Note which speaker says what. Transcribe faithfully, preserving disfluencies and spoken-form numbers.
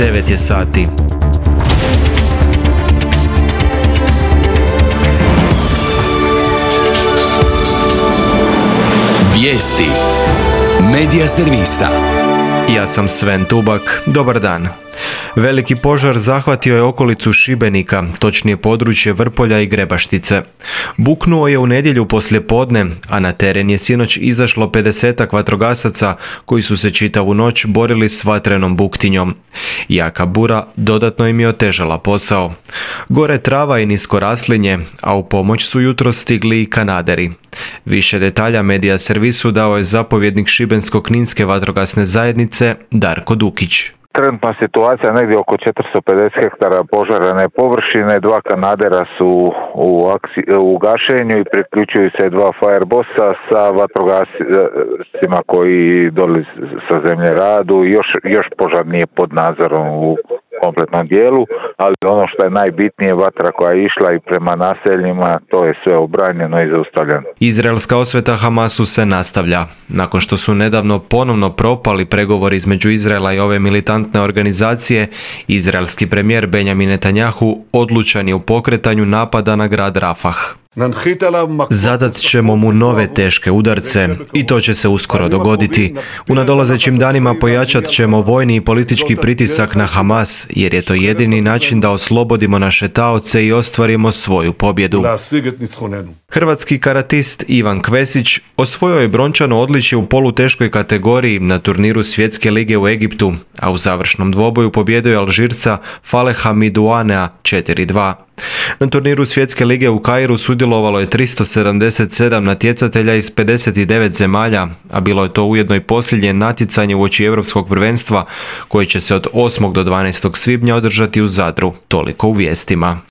Speaker 1: devet je sati.
Speaker 2: Vijesti Medija servisa.
Speaker 1: Ja sam Sven Tubak, dobar dan. Veliki požar zahvatio je okolicu Šibenika, točnije područje Vrpolja i Grebaštice. Buknuo je u nedjelju poslijepodne, a na teren je sinoć izašlo pedesetak vatrogasaca koji su se čitavu noć borili s vatrenom buktinjom. Jaka bura dodatno im je otežala posao. Gore trava i nisko raslinje, a u pomoć su jutro stigli i kanaderi. Više detalja Medija servisu dao je zapovjednik Šibensko-kninske vatrogasne zajednice Darko Dukić.
Speaker 3: Trenutna situacija negdje oko četiristo pedeset hektara požarene površine, dva kanadera su u, akci, u gašenju i priključuju se dva firebossa sa vatrogascima koji doli sa zemlje radu. Još, još požar nije pod nadzorom u kompletnom dijelu, ali ono što je najbitnije, vatra koja je išla i prema naseljima, to je sve obranjeno i zaustavljeno.
Speaker 1: Izraelska osveta Hamasu se nastavlja. Nakon što su nedavno ponovno propali pregovori između Izraela i ove militantne organizacije, izraelski premijer Benjamin Netanjahu odlučan je u pokretanju napada na grad Rafah. Zadat ćemo mu nove teške udarce i to će se uskoro dogoditi. U nadolazećim danima pojačat ćemo vojni i politički pritisak na Hamas, jer je to jedini način da oslobodimo naše taoce i ostvarimo svoju pobjedu. Hrvatski karatist Ivan Kvesić osvojio je brončano odličje u poluteškoj kategoriji na turniru Svjetske lige u Egiptu, a u završnom dvoboju pobijedio je Alžirca Faleha Midouanea četiri dva. Na turniru Svjetske lige u Kairu sudjelovalo je tristo sedamdeset sedam natjecatelja iz pedeset devet zemalja, a bilo je to ujedno i posljednje natjecanje uoči Europskog prvenstva koje će se od osmog do dvanaestog svibnja održati u Zadru. Toliko u vijestima.